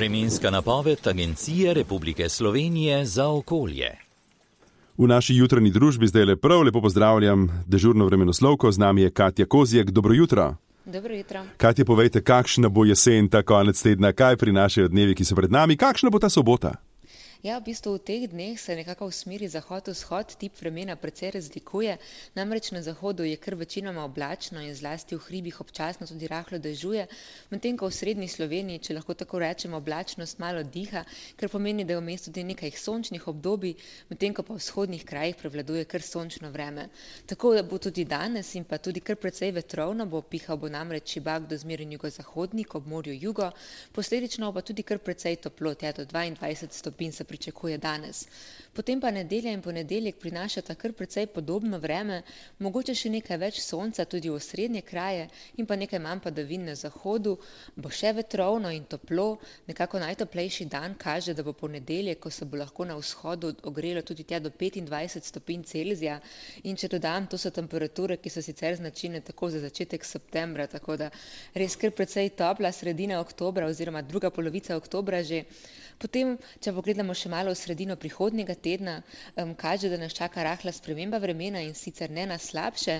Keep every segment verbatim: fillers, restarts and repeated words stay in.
Vremenska napoved Agencije Republike Slovenije za okolje. V naši jutranji družbi zdaj le prav lepo pozdravljam dežurno vremenoslovko, z nami je Katja Kozjek. Dobro jutro. Dobro jutro. Katja, povejte, kakšna bo jesen ta konec tedna, kaj prinašajo dnevi, ki so pred nami, kakšna bo ta sobota? Ja, v bistvu v teh dneh se nekako v smeri zahod-vzhod tip vremena precej razlikuje, namreč na zahodu je kar večinoma oblačno in zlasti v hribih občasno tudi rahlo dežuje, medtem ko v srednji Sloveniji, če lahko tako rečemo, oblačnost malo diha, kar pomeni, da je vmes tudi nekaj sončnih obdobij, medtem ko pa v vzhodnih krajih prevladuje kar sončno vreme. Tako da bo tudi danes in pa tudi kar precej vetrovno, bo pihal bo namreč šibak do zmeren jugozahodnik ob morju jugo, posledično pa tudi kar precej toplo, tja do dvaindvajset stopinj se pričakuje danes. Potem pa nedelja in ponedeljek prinašata kar precej podobno vreme, mogoče še nekaj več sonca tudi v osrednje kraje in pa nekaj manj padavin na zahodu, bo še vetrovno in toplo, nekako najtoplejši dan kaže, da bo ponedeljek, ko se bo lahko na vzhodu ogrelo tudi tja do petindvajset stopinj Celzija in če dodam, to so temperature, ki so sicer značilne tako za začetek septembra, tako da res kar precej topla sredina oktobra oziroma druga polovica oktobra že. Potem, če pogledamo še malo v sredino prihodnjega tedna, um, kaže, da nas čaka rahla sprememba vremena in sicer ne na slabše.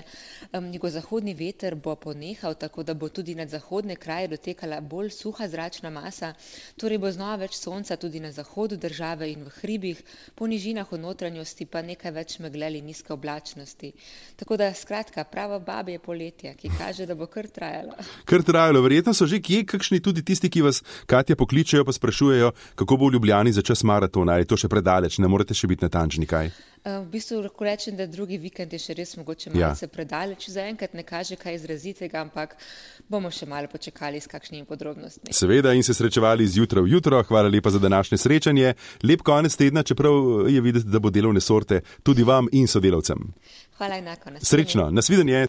Um, jugozahodni veter bo ponehal, tako da bo tudi nad zahodne kraje dotekala bolj suha zračna masa, torej bo znova več sonca tudi na zahodu države in v hribih, po nižinah v notranjosti pa nekaj več megleli nizke oblačnosti. Tako da skratka, pravo babje poletje, ki kaže, da bo kar trajalo. Kar trajalo, verjetno so že kje kakšni tudi tisti, ki vas, Katja, pokličejo pa sprašujejo, kako bo v Ljubljani za čas maratona, je to še predaleč, ne morete še biti natančni, kaj? V bistvu lahko rečem, da drugi vikend je še res mogoče malce ja. predaleč, zaenkrat ne kaže kaj izrazitega, ampak bomo še malo počakali s kakšnimi podrobnostmi. Seveda in se srečevali z jutra v jutro, hvala lepa za današnje srečanje, lep konec tedna, čeprav je videti, da bo delovne sorte tudi vam in sodelavcem. Hvala enako. Srečno, nasvidenje.